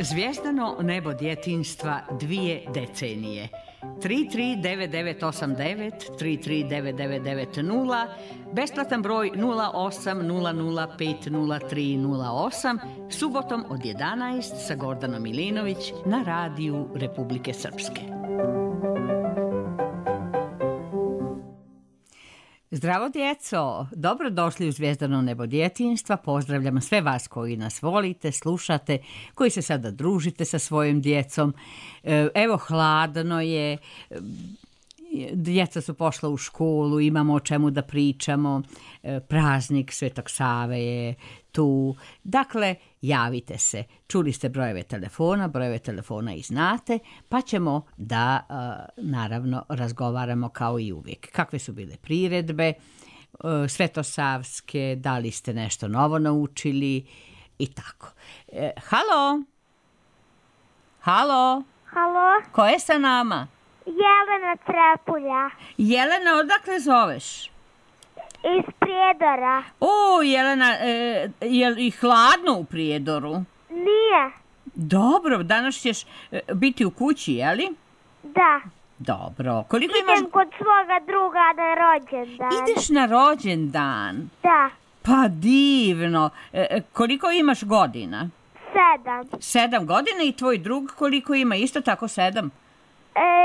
Zvijezdano nebo djetinjstva 2 decenije. 339989, 339990, besplatan broj 0800500308, subotom od 11 sa Gordanom Milinović na radiju Republike Srpske. Zdravo djeco, dobrodošli u Zvijezdano nebo djetinjstva. Pozdravljam sve vas koji nas volite, slušate, koji se sada družite sa svojim djecom. Evo, hladno je, djeca su pošla u školu, imamo o čemu da pričamo, praznik Svetog Save je tu. Dakle, javite se. Čuli ste brojeve telefona i znate, pa ćemo da, naravno, razgovaramo kao i uvijek. Kakve su bile priredbe svetosavske, da li ste nešto novo naučili i tako. Halo? Halo? Halo? Ko je sa nama? Jelena Trepulja. Jelena, odakle zoveš? Iz Prijedora. O, Jelena, je li hladno u Prijedoru? Nije. Dobro, danas ćeš biti u kući, je li? Da. Dobro. Koliko Idem imaš... kod svoga druga na rođendan. Ideš na rođendan? Da. Pa divno. Koliko imaš godina? 7. 7 godina i tvoj drug koliko ima? Isto tako 7?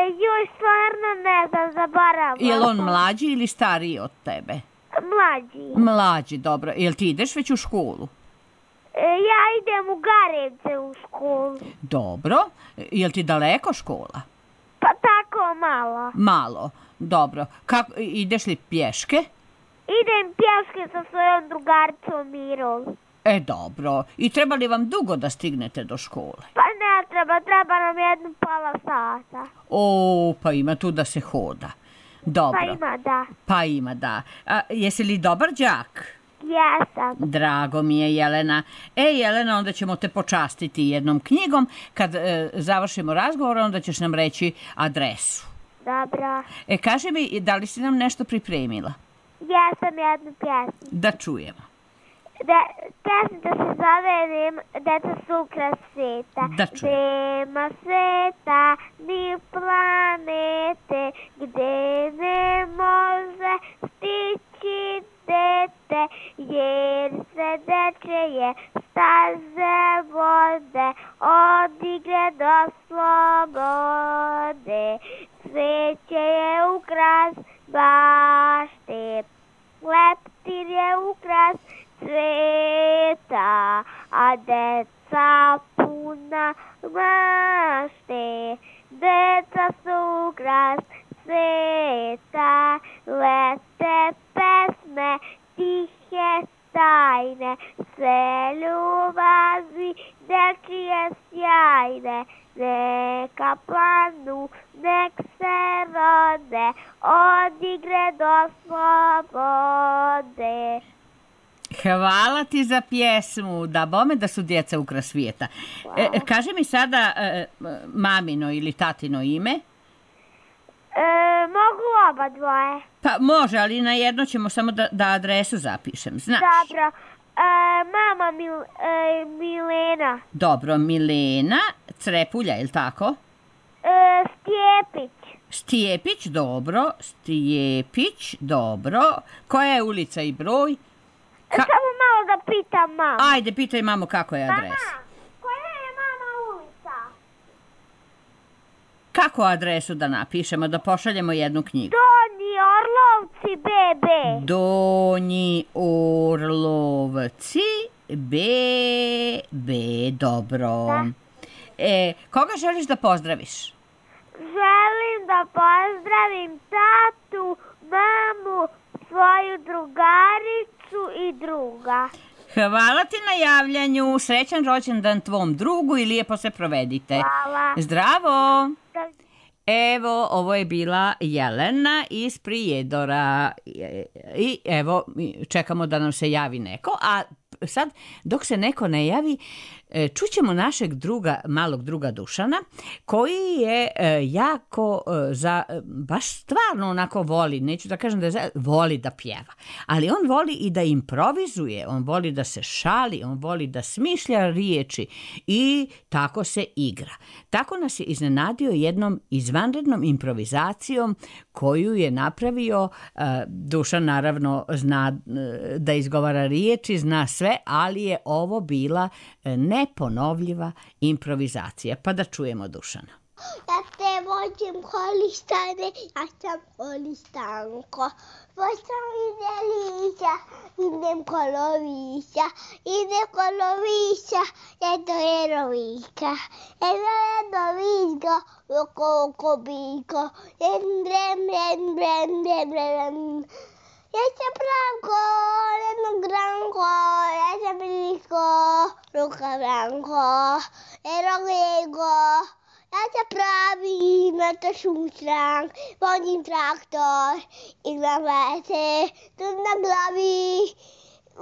Joj, stvarno ne znam, zaboravila. Je li on mlađi ili stariji od tebe? Mlađi. Mlađi, dobro. Jel ti ideš već u školu? Ja idem u Garevce u školu. Dobro. Jel ti daleko škola? Pa tako malo. Malo. Dobro. Ideš li pješke? Idem pješke sa svojom drugaricom Mirom. Dobro. I treba li vam dugo da stignete do škole? Pa ne treba nam 1,5 sata. O, pa ima tu da se hoda. Dobro. Pa ima, da. A jesi li dobar đak? Jesam. Drago mi je, Jelena. Jelena, onda ćemo te počastiti jednom knjigom. Kad završimo razgovor, onda ćeš nam reći adresu. Dobro. Kaži mi, da li si nam nešto pripremila? Jesam, jednu pjesmu. Da čujemo. Pesmica se zove Deca su ukras sveta. Da čujemo. Nema sveta ni planete gdje ne može stići dete, jer se dečije staze vode od igre do slobode. Sveće je ukras bašte, leptir je ukras sveta, a deca puna mašte. Deca su ukras sveta, lete pesme, tihe tajne, sve ljubavi dečije sjajne. Neka planu, nek se rode, od igre do slobode. Hvala ti za pjesmu, da bome da su djeca ukras svijeta. Kaži mi sada mamino ili tatino ime. Mogu oba dvoje. Pa može, ali na jedno ćemo samo da adresu zapišem, znaš. Dobro. Mama Milena. Dobro, Milena Crepulja, je li tako? Stjepić, dobro. Koja je ulica i broj? Samo malo da pitam mamu. Ajde, pitaj mamu kako je adres. Mama, koja je mama ulica? Kako adresu da napišemo, da pošaljemo jednu knjigu? Donji Orlovci, BB. Donji Orlovci, BB, dobro. Da. Koga želiš da pozdraviš? Želim da pozdravim tatu, mamu, svoju drugaricu i druga. Hvala ti na javljanju, srećan rođendan tvom drugu i lijepo se provedite. Hvala. Zdravo. Evo, ovo je bila Jelena iz Prijedora i evo, čekamo da nam se javi neko, a sad dok se neko ne javi, Čućemo našeg malog druga Dušana, koji je jako, baš stvarno onako voli, neću da kažem voli da pjeva, ali on voli i da improvizuje, on voli da se šali, on voli da smišlja riječi i tako se igra. Tako nas je iznenadio jednom izvanrednom improvizacijom koju je napravio. Dušan naravno zna da izgovara riječi, zna sve, ali je ovo bila neponovljiva improvizacija. Pa da čujemo Dušana. Ja te vođim holistane, ja sam holistanko. Poštam ide lića, idem kolovića, jedno jerovika. Jedno visko, oko biko, drem. Ja sam branko, jedno granko, ja sam blisko, ruka branko, erogego. Ja se pravim na to šušrank, vodim traktor, igram vese, tu na glavi.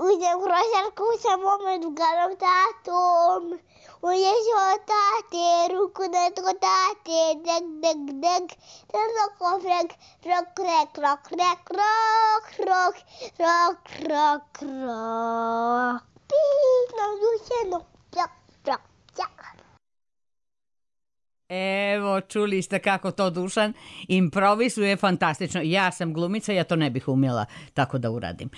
Uzem krošarku sa mome drugarom tatom. Uđeš od tate, ruku na tko tate, deg. Tamo kofrek, rok. Pino, dušeno, rok. Evo, čuli ste kako to Dušan improvizuje fantastično. Ja sam glumica, ja to ne bih umjela tako da uradim.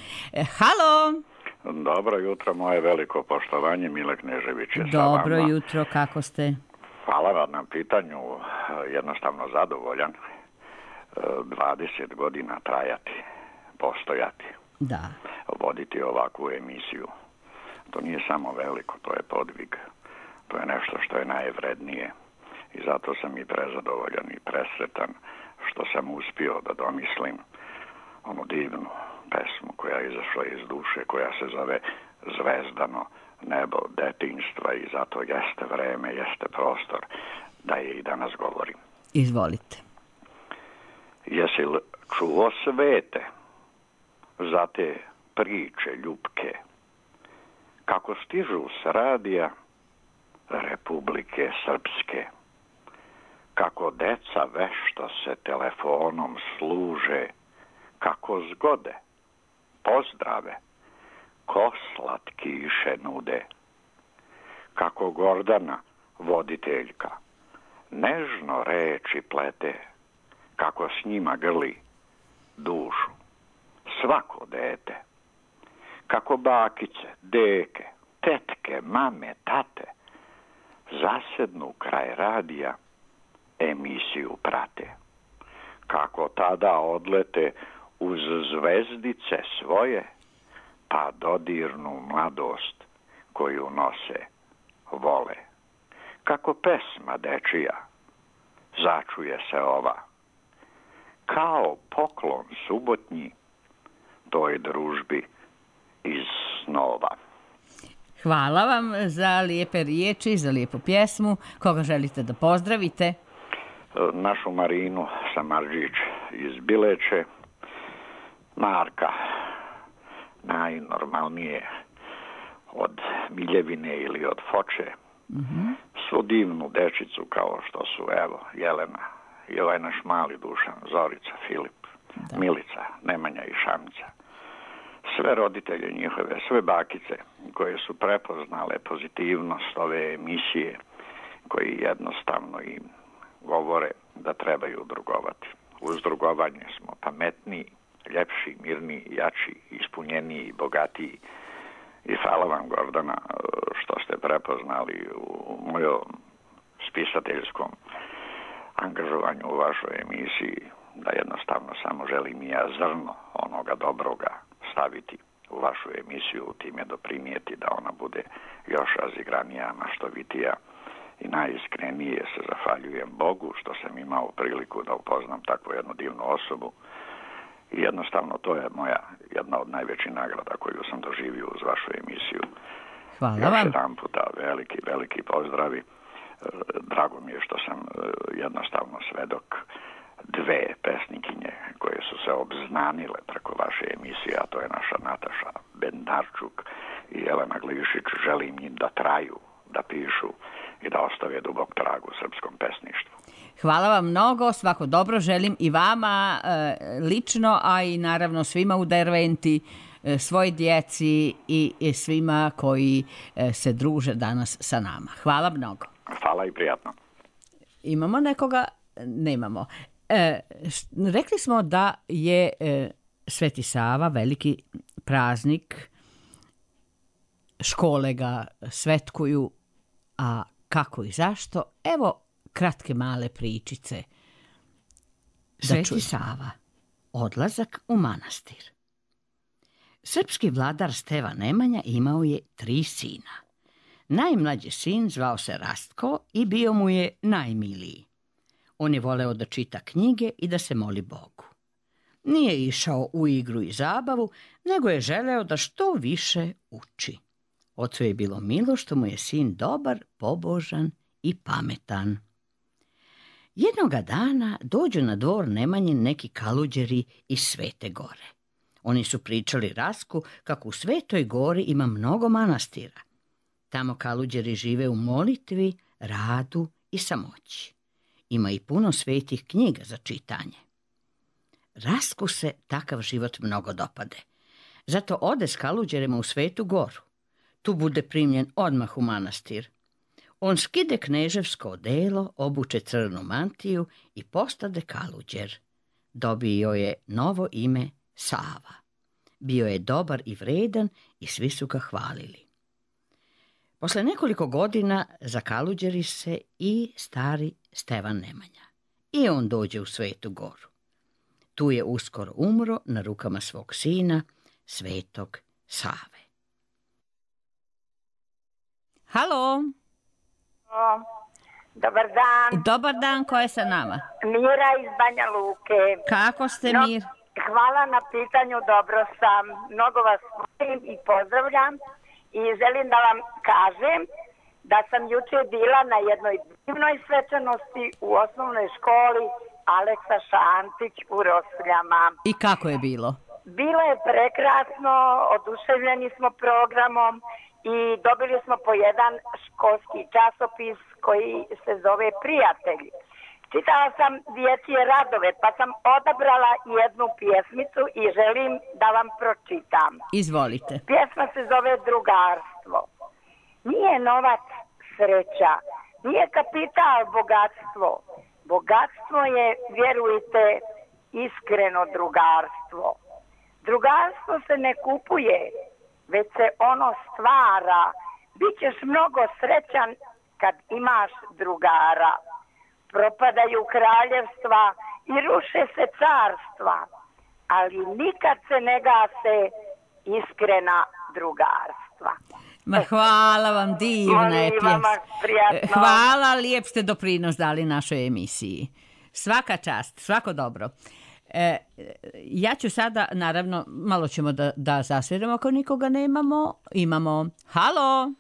Halo! Dobro jutro, moje veliko poštovanje, Mile Knežević je sa vama. Dobro jutro, kako ste? Hvala vam na pitanju, jednostavno zadovoljan. 20 godina trajati, postojati, da. Voditi ovakvu emisiju. To nije samo veliko, to je podvig. To je nešto što je najvrednije. I zato sam i prezadovoljan i presretan što sam uspio da domislim onu divnu pesmu koja je izašla iz duše, koja se zove Zvezdano nebo detinjstva i zato jeste vreme, jeste prostor da je i danas govorim. Izvolite. Jesi li čuo svete za te priče ljubke kako stižu s radija Republike Srpske? Kako deca vešto se telefonom služe, kako zgode, pozdrave, ko slatkiše nude. Kako Gordana, voditeljka, nežno reči plete, kako s njima grli dušu svako dete. Kako bakice, deke, tetke, mame, tate zasednu kraj radija, emisiju prate. Kako tada odlete uz zvezdice svoje, pa dodirnu mladost koju nose, vole. Kako pesma dečija začuje se ova, kao poklon subotnji toj družbi iz snova. Hvala vam za lijepe riječi, za lijepu pjesmu. Koga želite da pozdravite? Našu Marinu Samarđić iz Bileće, Marka, najnormalnije od Miljevine ili od Foče, svu divnu dečicu kao što su, evo, Jelena i ovaj naš mali Dušan, Zorica, Filip, Milica, Nemanja i Šamica. Sve roditelje njihove, sve bakice koje su prepoznale pozitivnost ove emisije, koji jednostavno im govore da trebaju drugovati. Uz drugovanje smo pametniji, ljepši, mirniji, jači, ispunjeniji, bogatiji. I hvala vam, Gordana, što ste prepoznali u mojom spisateljskom angažovanju u vašoj emisiji da jednostavno samo želim i ja zrno onoga dobroga staviti u vašu emisiju, time doprinijeti da ona bude još razigranija, maštovitija i najiskrenije se zahvaljujem Bogu što sam imao priliku da upoznam takvu jednu divnu osobu i jednostavno to je moja jedna od najvećih nagrada koju sam doživio uz vašu emisiju. Hvala još vam. jedan puta veliki pozdravi. Drago mi je što sam jednostavno svedok dve pesnikinje koje su se obznanile preko vaše emisije, a to je naša Nataša Bendarčuk i Jelena Glišić. Želim im da traju da pišu i da ostave dubok trag u srpskom pesništvu. Hvala vam mnogo, svako dobro želim i vama lično, a i naravno svima u Derventi, svoj djeci i svima koji se druže danas sa nama. Hvala mnogo. Hvala i prijatno. Imamo nekoga? Nemamo. Rekli smo da je Sveti Sava veliki praznik, škole ga svetkuju, a kako i zašto? Evo kratke male pričice. Sveti Sava, odlazak u manastir. Srpski vladar Stevan Nemanja imao je 3 sina. Najmlađi sin zvao se Rastko i bio mu je najmiliji. On je voleo da čita knjige i da se moli Bogu. Nije išao u igru i zabavu, nego je želeo da što više uči. Ocu je bilo milo što mu je sin dobar, pobožan i pametan. Jednoga dana dođu na dvor Nemanjin neki kaluđeri iz Svete Gore. Oni su pričali Rasku kako u Svetoj Gori ima mnogo manastira. Tamo kaluđeri žive u molitvi, radu i samoći. Ima i puno svetih knjiga za čitanje. Rasku se takav život mnogo dopade. Zato ode s kaluđerima u Svetu Goru. Tu bude primljen odmah u manastir. On skide kneževsko odelo, obuče crnu mantiju i postade kaluđer. Dobio je novo ime Sava. Bio je dobar i vredan i svi su ga hvalili. Posle nekoliko godina zakaluđeri se i stari Stevan Nemanja. I on dođe u Svetu Goru. Tu je uskoro umro na rukama svog sina, Svetog Save. Halo. Dobar dan. Dobar dan, ko je sa nama? Mira iz Banja Luke. Kako ste, Mir? Hvala na pitanju, dobro sam. Mnogo vas volim i pozdravljam i želim da vam kažem da sam juče bila na jednoj divnoj svečanosti u osnovnoj školi Aleksa Šantić u Rosljama. I kako je bilo? Bilo je prekrasno, oduševljeni smo programom i dobili smo po jedan školski časopis koji se zove Prijatelji. Čitala sam dječje radove, pa sam odabrala jednu pjesmicu i želim da vam pročitam. Izvolite. Pjesma se zove Drugarstvo. Nije novac sreća, nije kapital bogatstvo. Bogatstvo je, vjerujte, iskreno drugarstvo. Drugarstvo se ne kupuje, već se ono stvara. Bićeš mnogo srećan kad imaš drugara. Propadaju kraljevstva i ruše se carstva, ali nikad se ne gase iskrena drugarstva. Ma hvala vam, divna je pjesma. Hvala, lijep ste doprinos dali našoj emisiji. Svaka čast, svako dobro. Ja ću sada, naravno, malo ćemo da zasviramo ako nikoga nemamo. Imamo, halo.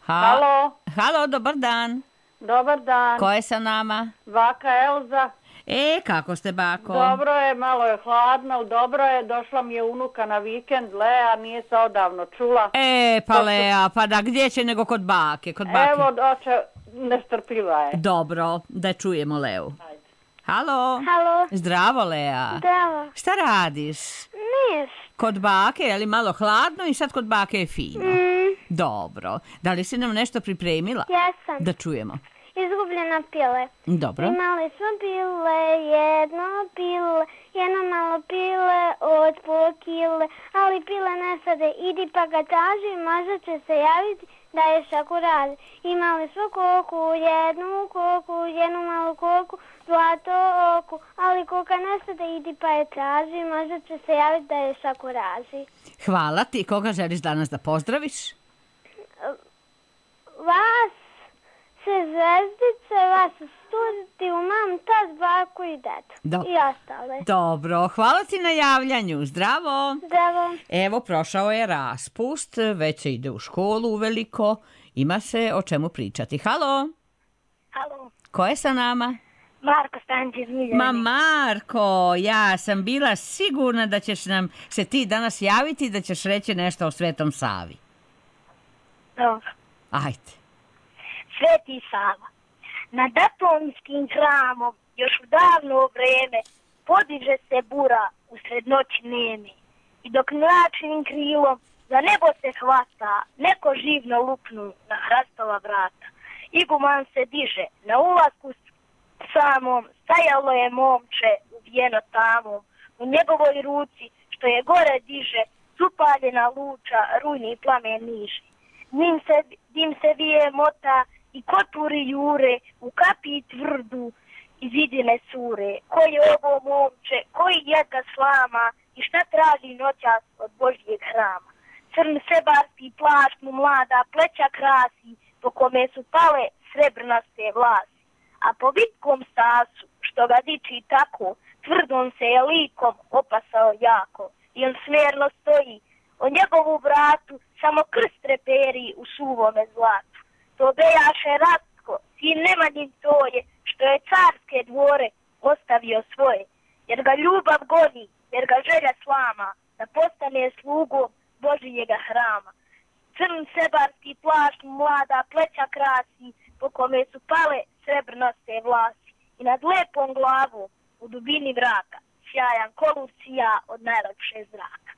Halo. Halo, dobar dan. Dobar dan. Ko je sa nama? Baka Elza. Kako ste, bako? Dobro je, malo je hladno, dobro je, došla mi je unuka na vikend, Lea, nije se odavno čula. Pa Lea, pa da, gdje će nego kod bake? Evo, doće, nestrpljiva je. Dobro, da čujemo Leu. Ajde. Halo. Halo. Zdravo, Lea. Zdravo. Šta radiš? Nis. Kod bake, je li malo hladno i sad kod bake je fino? Dobro. Da li si nam nešto pripremila? Jesam. Da čujemo. Izgubljena pile. Dobro. Imali smo pile, jedno malo pile od pola kile, ali pile ne sade, idi pa ga traži, možda će se javiti da je šaku radi. Imali smo koku, jednu malu koku, zlato oku, ali koka ne sade, idi pa je traži, možda će se javiti da je šaku raži. Hvala ti. Koga želiš danas da pozdraviš? Vas se zvezdice, vas studiju, mam, tad, baku i dedu. I ostale. Dobro, hvala ti na javljanju. Zdravo. Zdravo. Evo, prošao je raspust, već se ide u školu uveliko. Ima se o čemu pričati. Halo. Halo. Ko je sa nama? Marko Stančić iz Miljani. Ma Marko, ja sam bila sigurna da ćeš nam se ti danas javiti i da ćeš reći nešto o Svetom Savi. Dobro. Ajde. Sveti Sava. Nad Aponskim hramom još u davno vreme podiže se bura usred noći neme. I dok mračnim krilom za nebo se hvata, neko živno lupnu na hrastova vrata. Iguman se diže na ulasku samom, stajalo je momče uvijeno tamom. U njegovoj ruci, što je gore diže, supaljena luča, rujni plamen niže. Dim se vije mota i koturi jure, u kapi tvrdu iz idine sure. Koji je ovo momče, koji je ga slama i šta traži noćas od Božjeg hrama. Crn sebarski plašt mu mlada pleća krasi, po kome su pale srebrnaste vlasi. A po vitkom stasu, što ga diči tako, tvrdom se je likom opasao jako. I on smjerno stoji, o njegovu vratu samo krst reperi u suvome zlatu. To bejaše Rastko, sin Nemanjin to je, što je carske dvore ostavio svoje. Jer ga ljubav goni, jer ga želja slama, da postane slugom Božijega hrama. Crn sebarski plašt mlada pleća krasi, po kome su pale srebrnaste vlasi. I nad lepom glavom, u dubini vraka, sjajan kolur sija od najlepše zraka.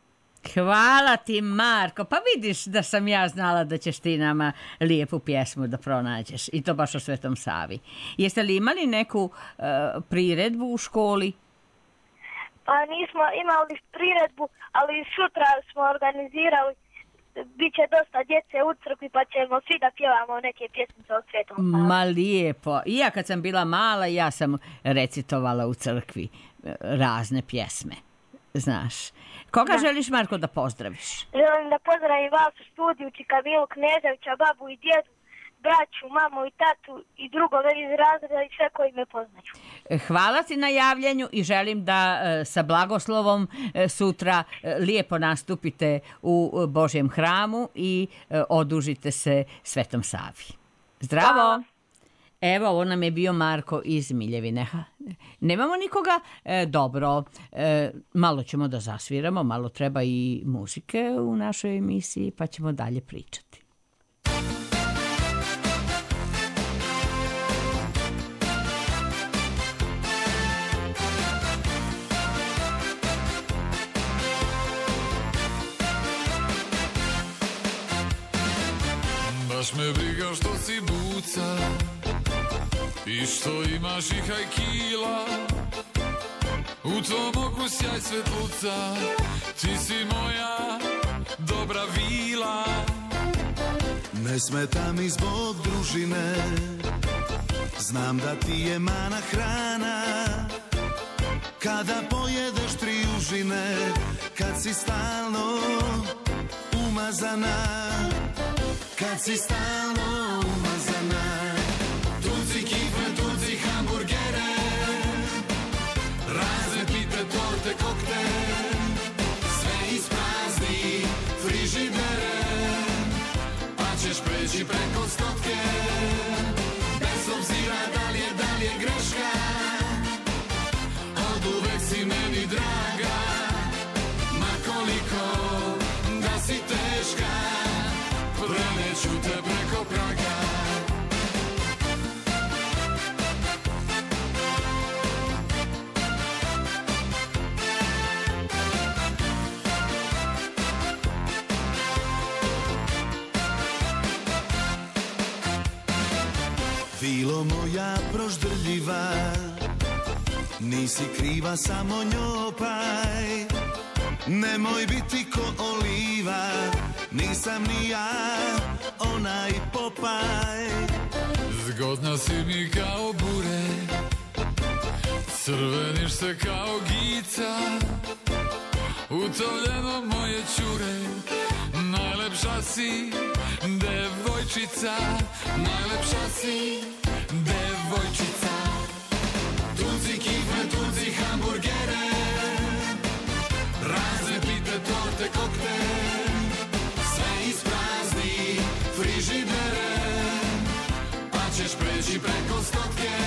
Hvala ti, Marko. Pa vidiš da sam ja znala da ćeš ti nama lijepu pjesmu da pronađeš. I to baš o Svetom Savi. Jeste li imali neku priredbu u školi? Pa nismo imali priredbu, ali sutra smo organizirali. Biće dosta djece u crkvi, pa ćemo svi da pjevamo neke pjesmice o Svetom Savi. Ma lijepo. I ja kad sam bila mala, ja sam recitovala u crkvi razne pjesme. Znaš. Koga želiš, Marko, da pozdraviš? Želim da pozdravim vas u studiju, Čika Milu Kneževića, babu i djedu, braću, mamu i tatu i drugove iz razreda i sve koji me poznaju. Hvala ti na javljanju i želim da sa blagoslovom sutra lijepo nastupite u Božjem hramu i odužite se Svetom Savi. Zdravo! Hvala. Evo, ovo nam je bio Marko iz Miljevine. Nemamo nikoga? Dobro, malo ćemo da zasviramo, malo treba i muzike u našoj emisiji, pa ćemo dalje pričati. Baš me briga što si buca i što imaš i hajkila, u tvom oku sjaj svetluca, ti si moja dobra vila. Ne smeta mi zbog družine, znam da ti je mana hrana, kada pojedeš 3 užine, kad si stalno umazana, kad si stalno umazana. Tuci kifle, tuci hamburgere, razne pite, torte, kokte, sve isprazni frižidere, pa ćeš preći preko stotke, bez obzira da li je greška, od uvek si meni draga, ma koliko da si teška, preneću te preko praga. Vilo moja proždrljiva, nisi kriva, samo njopaj. Nemoj biti ko oliva, nisam ni ja onaj Popaj. Zgodna si mi kao bure, crveniš se kao gica, utovljeno moje čure, najlepša si devojčica, najlepša si devojčica. Tuci kifle, tuci hamburgere, razne pite, torte, kokte, sve isprazni frižidere, pa ćeš preći preko stotke,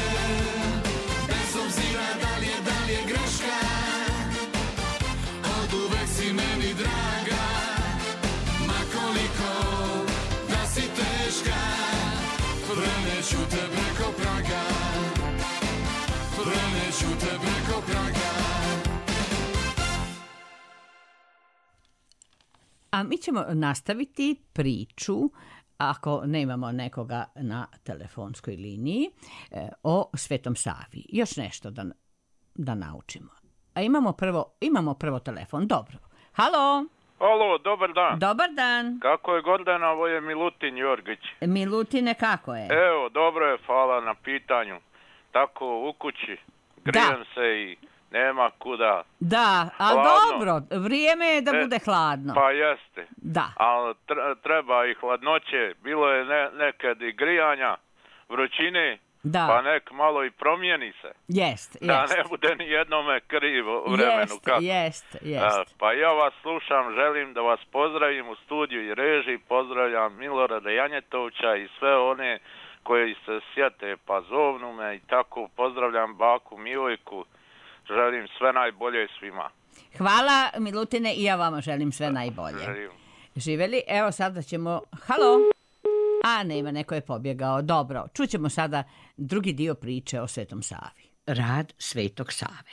bez obzira da li je greška, od uvek si meni draga, ma koliko da si teška. A mi ćemo nastaviti priču, ako nemamo nekoga na telefonskoj liniji, o Svetom Savi. Još nešto da naučimo. A imamo prvo telefon. Dobro. Halo? Alo, dobar dan. Dobar dan. Kako je Gordana, ovo je Milutin Jorgić. Milutine, kako je? Evo, dobro je, hvala na pitanju. Tako, u kući, grijem se i nema kuda. Da, ali dobro, vrijeme je da bude hladno. Pa jeste. Da. Ali treba i hladnoće, bilo je nekad i grijanja, vrućine, pa nek malo i promijeni se. Jest. Da ne bude ni jednome krivo u vremenu. Jest. Pa ja vas slušam, želim da vas pozdravim u studiju i režiji, pozdravljam Milorada Janjetovića i sve one koji se sjete, pa zovnu me i tako, pozdravljam baku Milojku, želim sve najbolje svima. Hvala Milutine i ja vama želim sve najbolje. Živjeli, evo sada ćemo, halo? A nema, neko je pobjegao. Dobro, čućemo sada drugi dio priče o Svetom Savi. Rad Svetog Save.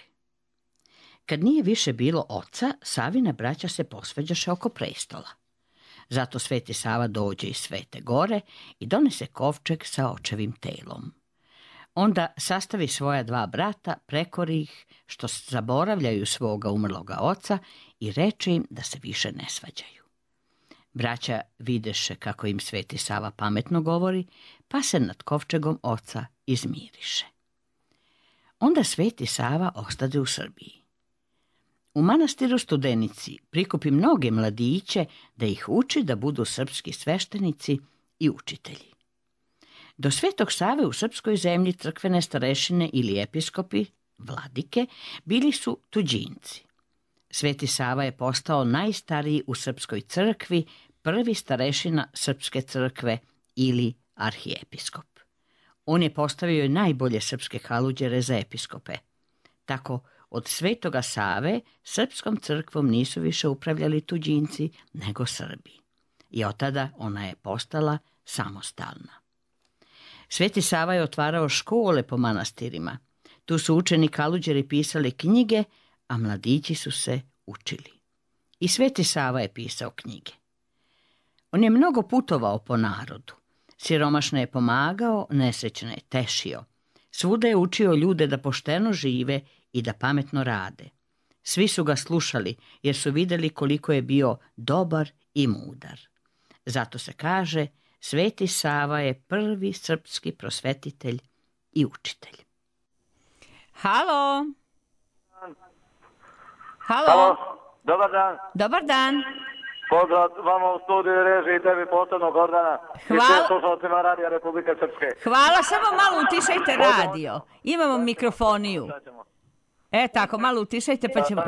Kad nije više bilo oca, Savina braća se posvađaše oko prestola. Zato Sveti Sava dođe iz Svete Gore i donese kovčeg sa očevim telom. Onda sastavi svoja 2 brata, prekori ih što zaboravljaju svoga umrloga oca i reče im da se više ne svađaju. Braća videše kako im Sveti Sava pametno govori, pa se nad kovčegom oca izmiriše. Onda Sveti Sava ostade u Srbiji. U manastiru Studenici prikupi mnoge mladiće da ih uči da budu srpski sveštenici i učitelji. Do Svetog Save u srpskoj zemlji crkvene starešine ili episkopi, vladike, bili su tuđinci. Sveti Sava je postao najstariji u srpskoj crkvi, prvi starešina srpske crkve ili arhiepiskop. On je postavio i najbolje srpske haluđere za episkope. Tako, od Svetoga Save srpskom crkvom nisu više upravljali tuđinci, nego Srbi. I od tada ona je postala samostalna. Sveti Sava je otvarao škole po manastirima. Tu su učeni haluđeri pisali knjige, a mladići su se učili. I Sveti Sava je pisao knjige. On je mnogo putovao po narodu. Siromašne je pomagao, nesrećne je tešio. Svuda je učio ljude da pošteno žive i da pametno rade. Svi su ga slušali jer su vidjeli koliko je bio dobar i mudar. Zato se kaže, Sveti Sava je prvi srpski prosvetitelj i učitelj. Halo? Halo, dobar dan. Dobar dan. Pozdrav vama u studiju režiji i tebi posebno, Gordana. Hvala. I sve slušalcima Radija Republike Srpske. Hvala, samo malo utišajte radio. Imamo mikrofoniju. Tako, malo utišajte pa ćemo...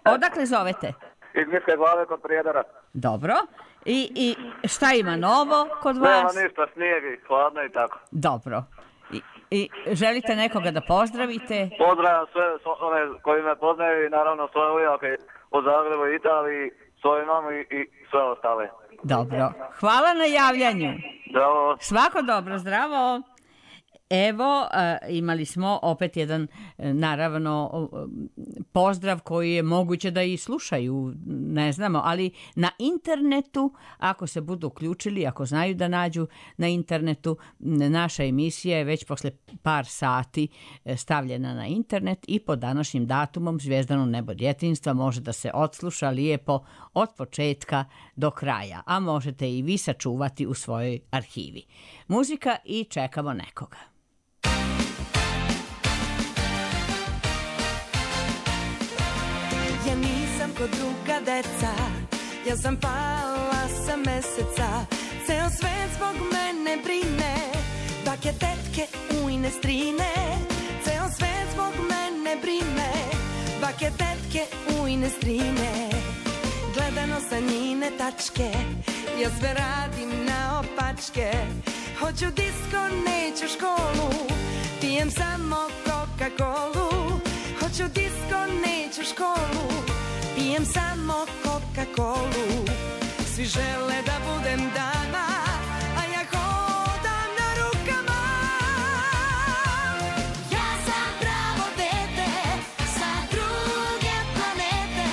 Odakle zovete? Iz Niške Glave kod Prijedora. Dobro. I šta ima novo kod vas? Nema ništa, snijeg i hladno i tako. Dobro. I želite nekoga da pozdravite? Pozdravljam sve one koji me poznaju i naravno svoje ujake u Zagrebu i Italiji, svoju mamu i sve ostale. Dobro. Hvala na javljanju. Zdravo. Svako dobro, zdravo. Evo, imali smo opet jedan, naravno, pozdrav koji je moguće da i slušaju, ne znamo, ali na internetu, ako se budu uključili, ako znaju da nađu na internetu, naša emisija je već posle par sati stavljena na internet i pod današnjim datumom Zvijezdano nebo djetinjstva može da se odsluša lijepo od početka do kraja, a možete i vi sačuvati u svojoj arhivi. Muzika i čekamo nekoga. Ja nisam ko druga deca, ja sam pala sa meseca, ceo svet zbog mene brine, bake, tetke, ujne, strine, ceo svet zbog mene brine, bake, tetke, ujne, strine, gledano sa njine tačke, ja sve radim na opačke, hoću disko, neću školu, pijem samo Coca-Colu, hoću disko, neću školu, pijem samo Coca-Colu. Svi žele da budem dama, a ja hodam na rukama. Ja sam pravo dete sa druge planete,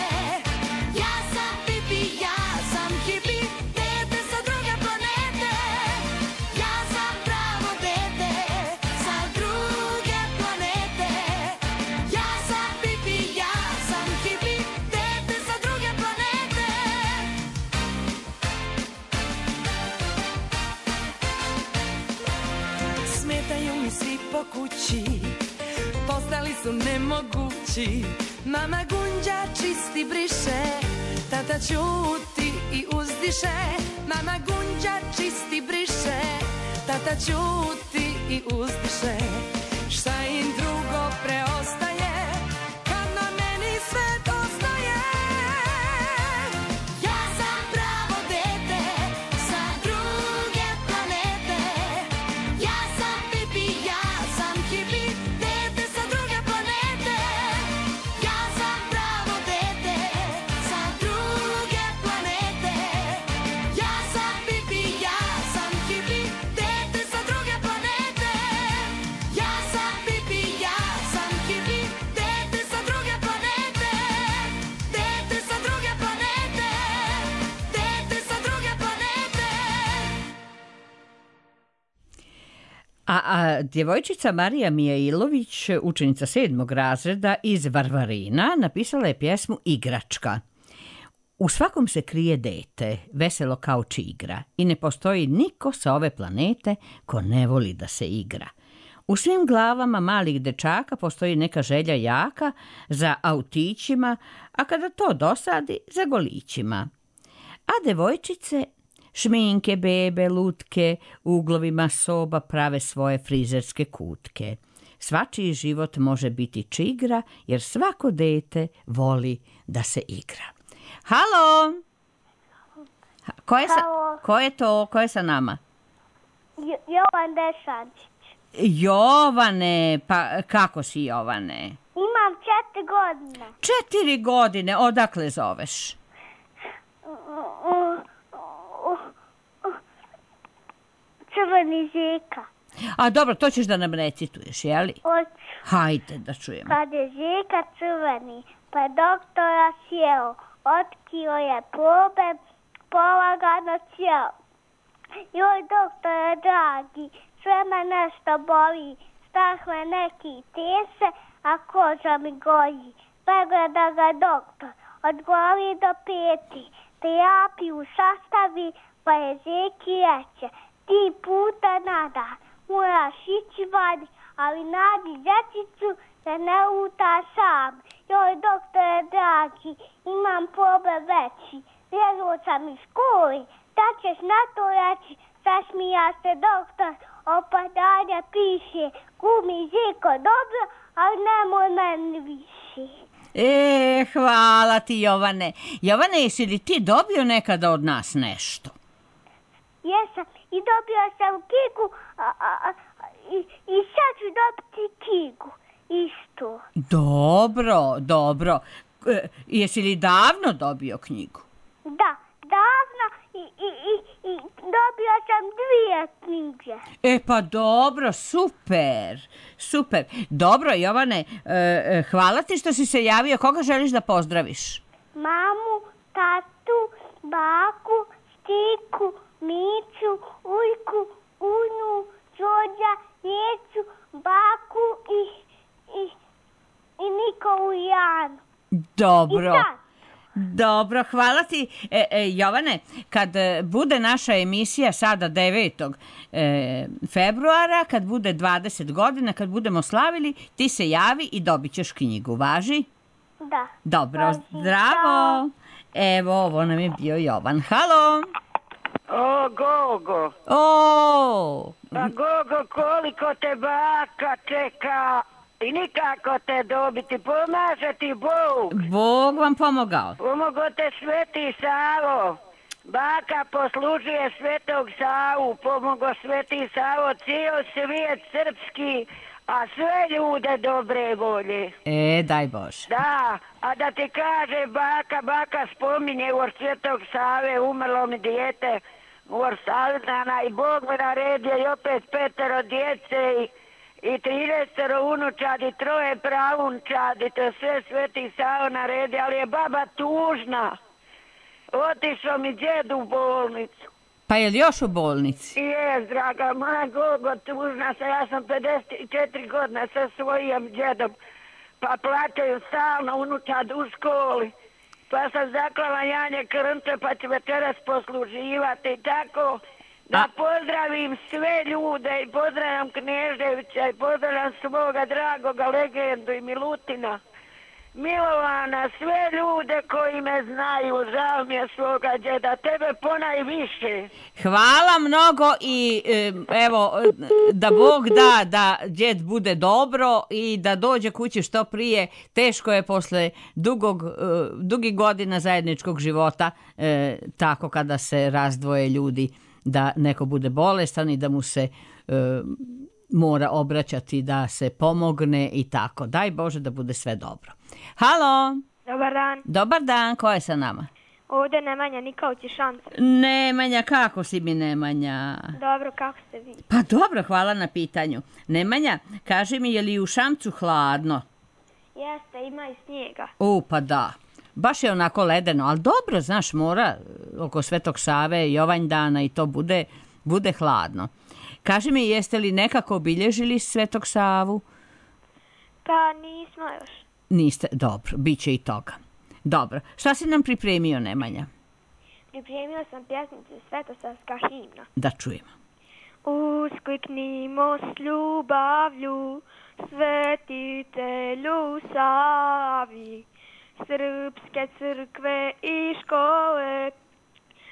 kući. Mama gunđa čisti briše, tata ćuti i uzdiše. Mama gunđa čisti briše, tata ćuti i uzdiše. Šta im drugo preostaje kad na meni svet ostaje? Ja sam pravo dete sa druge planete. Ja sam pipi, ja sam hipi, dete sa druge planete. Ja sam pravo dete sa druge planete. Ja sam pipi, ja sam hipi, dete sa druge planete. Ja sam pipi, ja sam hipi, dete sa druge planete. Dete sa druge planete. Dete sa druge planete. A djevojčica Marija Mijailović, učenica 7. razreda iz Varvarina, napisala je pjesmu Igračka. U svakom se krije dete, veselo kao čigra, i ne postoji niko sa ove planete ko ne voli da se igra. U svim glavama malih dečaka postoji neka želja jaka za autićima, a kada to dosadi, za golićima. A devojčice šminke, bebe, lutke, u uglovima soba prave svoje frizerske kutke. Svačiji život može biti čigra, jer svako dete voli da se igra. Halo! Ko je to? Ko je sa nama? Jovan Dešančić. Jovane, pa kako si, Jovane? Imam 4 godine. 4 godine, odakle zoveš? Crveni Žeka. A dobro, to ćeš da nam recituješ, jeli? Hoću. Hajde da čujemo. Kad je Žeka crveni, pa doktora sjeo, otkrio je probe, polagano sjeo. Joj, doktore dragi, sve me nešto boli, strah me neki tese, a koža mi goji. Pregleda ga doktor, od glavi do peti, terapiju sastavi, pa je Žeki reče, 3 puta na dan moraš ići vani, ali nađi dječicu da ne luta sam. Joj, doktore dragi, imam problem veći, vjeruo sam iz školi, da ćeš na to reći? Zasmija se doktor, opadanja piše, glumi Žeko dobro, ali nemoj meni više. Hvala ti, Jovane. Jovane, jesi li ti dobio nekada od nas nešto? Jesam, i dobio sam knjigu, i sad ću dobiti knjigu, isto. Dobro. Jesi li davno dobio knjigu? Da, davno, i dobio sam 2 knjige. Pa dobro, super. Dobro, Jovane, hvala ti što si se javio. Koga želiš da pozdraviš? Mamu, tatu, baku, stiku, Miću, Ujku, Unu, Đorđa, Jecu, baku i Nikolu i Janu. Dobro, hvala ti. Jovane, kad bude naša emisija sada 9. februara, kad bude 20 godina, kad budemo slavili, ti se javi i dobit ćeš knjigu. Važi? Da. Dobro, važi. zdravo. Evo, ovo nam je bio Jovan. Halo. O, Gogo. Pa Gogo, koliko te baka čeka i nikako te dobiti, pomaže ti Bog. Bog vam pomogao. Pomogao te Sveti Savo. Baka poslužuje Svetog Savu, pomogao Sveti Savo, cijel svijet srpski, a sve ljude dobre volje. Daj Bože. Da, a da ti kaže baka spominje u Svetog Save, umrlo mi dijete u Savdana i Bog me naredio i opet 5 djece i 13 unučadi, 3 pravunčadi, to sve Sveti Savo naredio, ali je baba tužna. Otišao mi djed u bolnicu. Pa je li još u bolnici? Jes, draga moja Gogo, tužna sam, ja sam 54 godine sa svojim djedom, pa plaćaju stalno unučad u školi, pa sam zaklala Janje Krnče, pa ću večeras posluživati, tako da pozdravim sve ljude i pozdravljam Kneževića i pozdravljam svoga dragoga Legendu i Milutina Milovana, sve ljude koji me znaju, žao mi je svoga djeda, tebe ponajviše. Hvala mnogo i evo, da Bog da da djed bude dobro i da dođe kući što prije. Teško je posle dugih godina zajedničkog života, tako kada se razdvoje ljudi, da neko bude bolestan i da mu se mora obraćati, da se pomogne i tako. Daj Bože da bude sve dobro. Halo! Dobar dan. Dobar dan, ko je sa nama? Ovdje Nemanja Nikolić iz Šamca. Nemanja, kako si mi Nemanja? Dobro, kako ste vi? Pa dobro, hvala na pitanju. Nemanja, kaži mi, je li u Šamcu hladno? Jeste, ima i snijega. Pa da. Baš je onako ledeno, ali dobro, znaš, mora oko Svetog Save, Jovanjdana i to bude hladno. Kaži mi, jeste li nekako obilježili Svetog Savu? Pa nismo još. Niste, dobro, bit će i toga. Dobro, šta si nam pripremio, Nemanja? Pripremio sam pjesmicu Svetosavska himna. Da čujemo. Uskliknimo s ljubavlju, svetitelju Savi, srpske crkve i škole,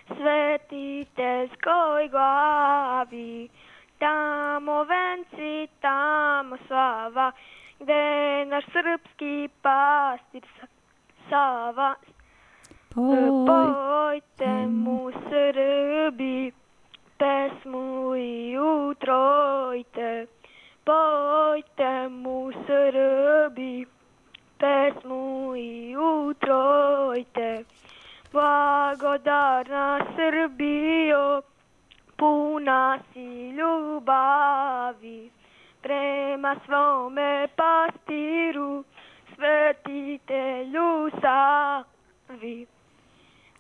svetiteljskoj glavi. Tamo venci, tamo slava, gde naš srpski pastir Sava. Pojte mu Srbi, pesmu i utrojte. Pojte mu Srbi, pesmu i utrojte. Blagodarna Srbijo, puna si ljubavi prema svome pastiru, svetitelju Savi.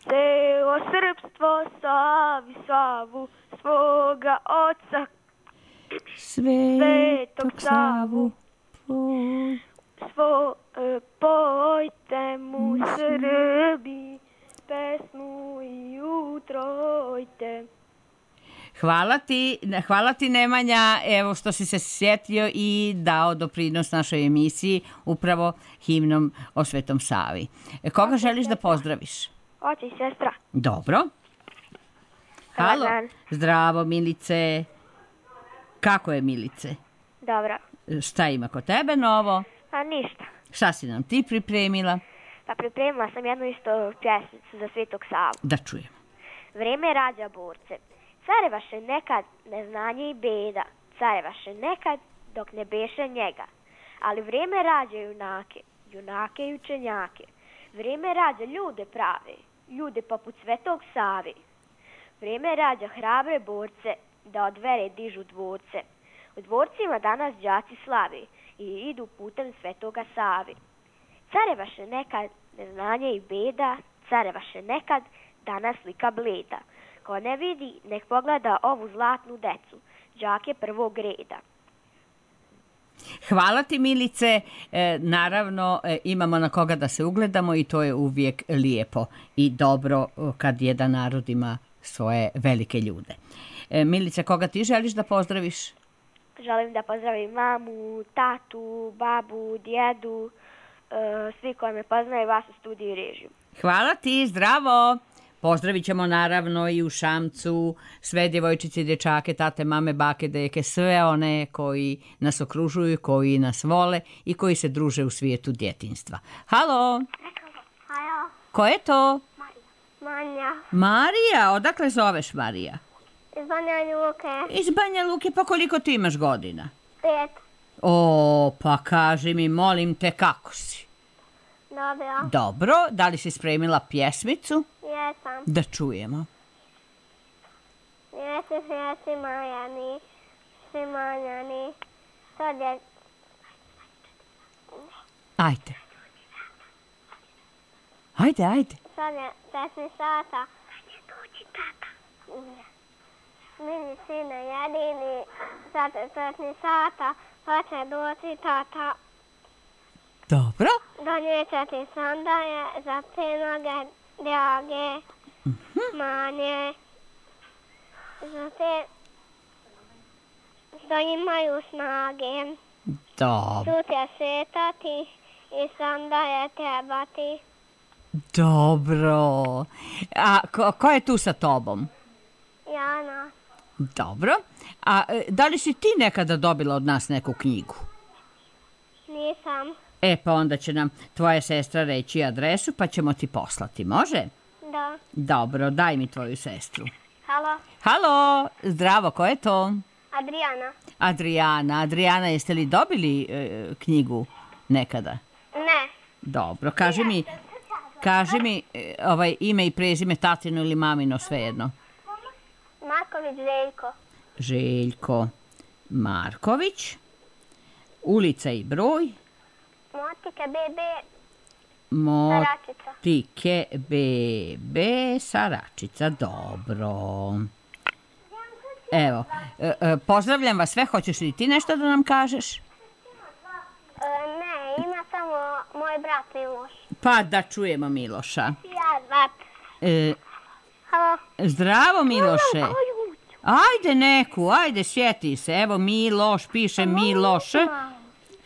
Celo srpstvo slavi slavu svoga oca, Svetog Savu. Pojte mu Srbi, pesmu i utrojte. Hvala ti Nemanja, evo što si se sjetio i dao doprinos našoj emisiji upravo himnom o Svetom Savi. Koga želiš da pozdraviš? Oče i sestra. Dobro. Halo. Zdravo Milice. Kako je Milice? Dobro. Šta ima kod tebe novo? A ništa. Šta si nam ti pripremila? Pa pripremila sam jednu isto pjesmicu za Svetog Savu. Da čujem. Vreme rađa borce. Carevaše nekad neznanje i beda, carevaše nekad dok ne beše njega. Ali vrijeme rađa junake, junake i učenjake. Vrijeme rađa ljude prave, ljude poput Svetog Save. Vrijeme rađa hrabre borce, da od vere dižu dvorce. U dvorcima danas đaci slave i idu putem Svetoga Save. Carevaše nekad neznanje i beda, carevaše nekad danas slika bleda. Ko ne vidi, nek pogleda ovu zlatnu decu, đake prvog reda. Hvala ti Milice, naravno imamo na koga da se ugledamo i to je uvijek lijepo i dobro kad jedan narod ima svoje velike ljude. Milice, koga ti želiš da pozdraviš? Želim da pozdravim mamu, tatu, babu, djedu, svi koji me poznaju, vas u studiju i režiju. Hvala ti, zdravo! Pozdravit ćemo naravno i u Šamcu sve djevojčice i dječake, tate, mame, bake, deke, sve one koji nas okružuju, koji nas vole i koji se druže u svijetu djetinjstva. Halo! Halo. Ko je to? Marija. Marija, odakle zoveš Marija? Iz Banja Luke. Iz Banja Luke, pa koliko ti imaš godina? 5. Pa kaži mi, molim te, kako si? Dobro. Dobro, da li si spremila pjesmicu? Jesam. Da čujemo. Svijeti Majani, svi manjani, sad je... Ajde. Sad je 10 sata. Dođi tata. Mini sine jedini, sad je 10 sata, pa će doći tata. Dobro. Donijet ti sandaje za te noge drage, manje, za te što imaju snage. Dobro. Tu će šetati i onda je trebati. Dobro. A ko je tu sa tobom? Jana. Dobro. A da li si ti nekada dobila od nas neku knjigu? Nisam. Pa onda će nam tvoja sestra reći adresu, pa ćemo ti poslati, može? Da. Dobro, daj mi tvoju sestru. Halo. Halo, zdravo, ko je to? Adriana. Adriana, jeste li dobili knjigu nekada? Ne. Dobro, kaži mi ime i prezime, tatino ili mamino, svejedno. Marković Željko. Željko Marković. Ulica i broj. Motike BB Saračica. Motike BB Saračica, dobro. Evo, pozdravljam vas sve, hoćeš li ti nešto da nam kažeš? Ne, ima samo moj brat Miloš. Pa da čujemo Miloša. Ja, brat. Halo. Zdravo Miloše. Ajde neku, ajde sjeti se. Evo Miloš, piše Miloš.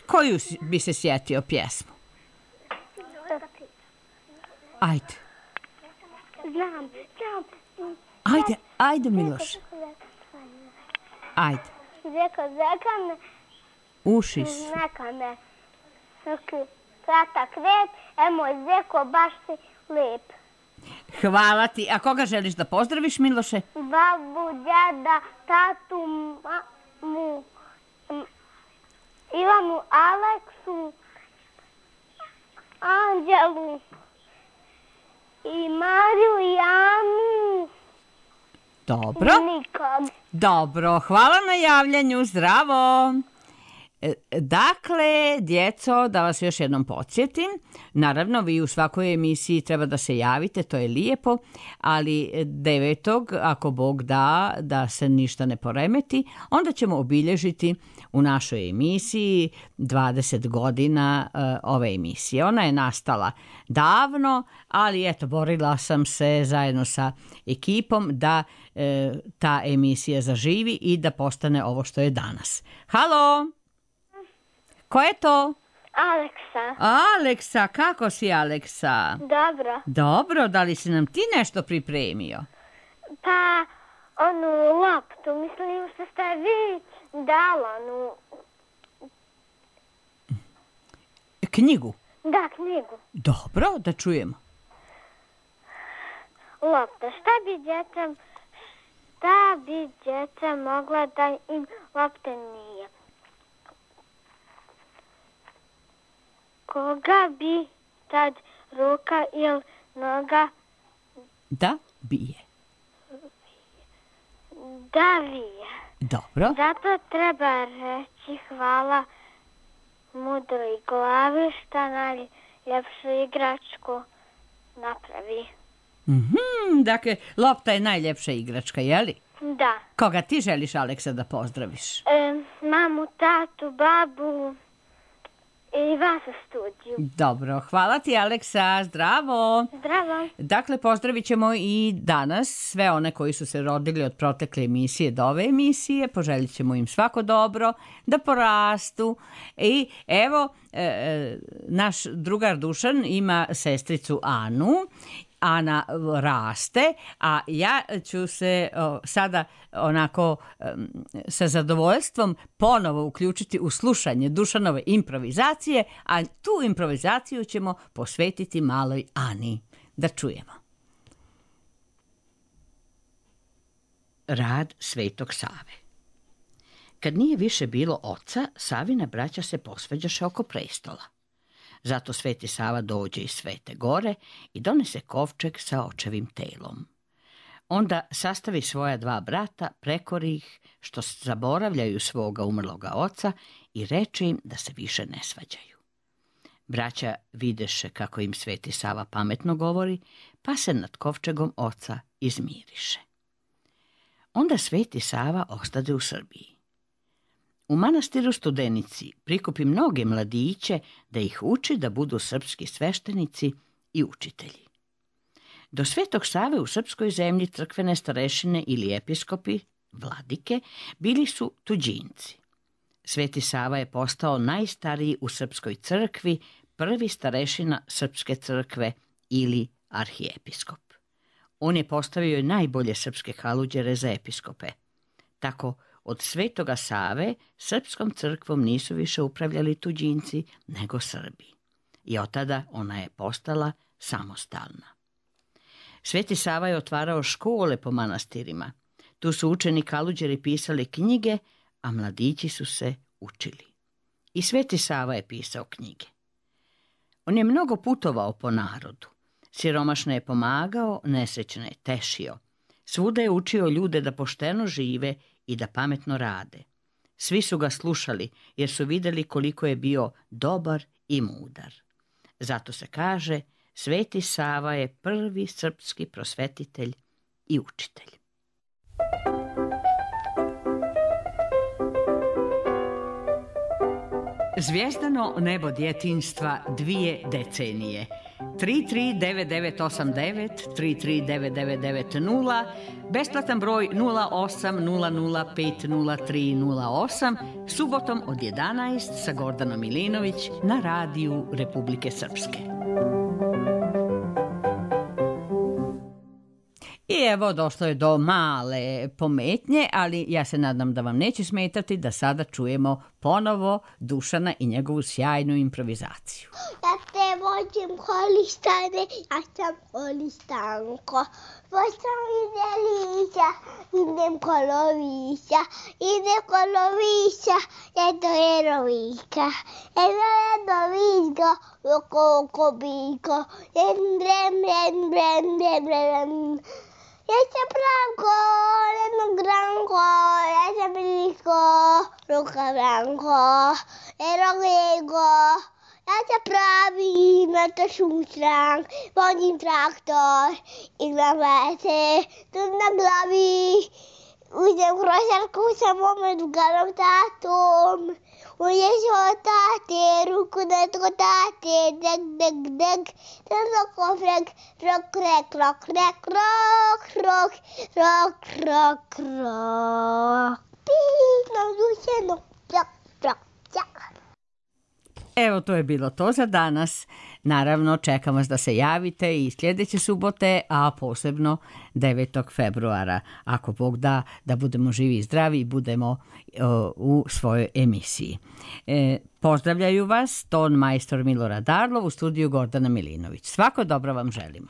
Koju bi se sjetio pjesmu? Ajde. Znam. Ajde Miloš. Ajde. Zeka Ušis. neka me kratak red, moj zeko baš si lep. Hvala ti. A koga želiš da pozdraviš, Miloše? Babu, djeda, tatu, mamu, Ivanu, Aleksu, Anđelu i Mariju i Anu. Dobro. Nikad. Dobro, hvala na javljanju, zdravo. Dakle, djeco, da vas još jednom podsjetim, naravno vi u svakoj emisiji treba da se javite, to je lijepo, ali 9. ako Bog da se ništa ne poremeti, onda ćemo obilježiti u našoj emisiji 20 godina ove emisije. Ona je nastala davno, ali eto, borila sam se zajedno sa ekipom da ta emisija zaživi i da postane ovo što je danas. Halo! Ko je to? Aleksa, kako si Aleksa? Dobro, da li si nam ti nešto pripremio? Pa, onu loptu, mislim što ste vi dala, Knjigu? Da, knjigu. Dobro, da čujemo. Lopta, šta bi djeca mogla da im lopte nije? Koga bi tad ruka ili noga da bije? Da vije. Dobro. Zato treba reći hvala mudroj glavi šta najljepšu igračku napravi. Dakle, lopta je najljepša igračka, jeli? Da. Koga ti želiš, Aleksa, da pozdraviš? Mamu, tatu, babu i vas u studiju. Dobro, hvala ti Aleksa, zdravo. Zdravo. Dakle, pozdravit ćemo i danas sve one koji su se rodili od protekle emisije do ove emisije, poželjit ćemo im svako dobro, da porastu i evo, naš drugar Dušan ima sestricu Anu. Ana raste, a ja ću se sada onako sa zadovoljstvom ponovo uključiti u slušanje Dušanove improvizacije, a tu improvizaciju ćemo posvetiti maloj Ani. Da čujemo. Rad Svetog Save. Kad nije više bilo oca, Savina braća se posvađaše oko prestola. Zato Sveti Sava dođe iz Svete Gore i donese kovčeg sa očevim telom. Onda sastavi svoja 2 brata, prekori ih što zaboravljaju svoga umrloga oca i reče im da se više ne svađaju. Braća videše kako im Sveti Sava pametno govori, pa se nad kovčegom oca izmiriše. Onda Sveti Sava ostade u Srbiji. U manastiru Studenici prikupi mnoge mladiće da ih uči da budu srpski sveštenici i učitelji. Do Svetog Save u srpskoj zemlji crkvene starešine ili episkopi, vladike, bili su tuđinci. Sveti Sava je postao najstariji u srpskoj crkvi prvi starešina Srpske crkve ili arhijepiskop. On je postavio i najbolje srpske haluđere za episkope. Tako, od Svetoga Save srpskom crkvom nisu više upravljali tuđinci, nego Srbi. I od tada ona je postala samostalna. Sveti Sava je otvarao škole po manastirima. Tu su učeni haluđeri pisali knjige, a mladići su se učili. I Sveti Sava je pisao knjige. On je mnogo putovao po narodu. Siromašne je pomagao, nesrećne je tešio. Svuda je učio ljude da pošteno žive i da pametno rade. Svi su ga slušali jer su vidjeli koliko je bio dobar i mudar. Zato se kaže, Sveti Sava je prvi srpski prosvetitelj i učitelj. Zvijezdano nebo djetinjstva 2 decenije. 339989, 339990, besplatan broj 0800500308, subotom od 11 sa Gordanom Milinović na radiju Republike Srpske. I evo, došlo je do male pometnje, ali ja se nadam da vam neće smetati da sada čujemo ponovo Dušana i njegovu sjajnu improvizaciju. Ja te vođim holistane, ja sam holistanko. Poštam ide lića, idem kolovića, jedno jerovika. Jedno viško, oko biko, brem. Ja sam branko, jedno granko, ja sam blisko, ruka branko, erogego. Ja se pravim na to šutrank, vodim traktor, igram vete, tu na glavi. Uzem krošarku sa mome drugarom tatom. Uđeš od tate, ruku na tko tate, deg. Tano kofrek, rok. Pino, dušeno, rok. Evo, to je bilo to za danas. Naravno, čekam vas da se javite i sljedeće subote, a posebno 9. februara. Ako Bog da budemo živi i zdravi i budemo u svojoj emisiji. Pozdravljaju vas ton majstor Milorad Darlov u studiju Gordana Milinović. Svako dobro vam želimo.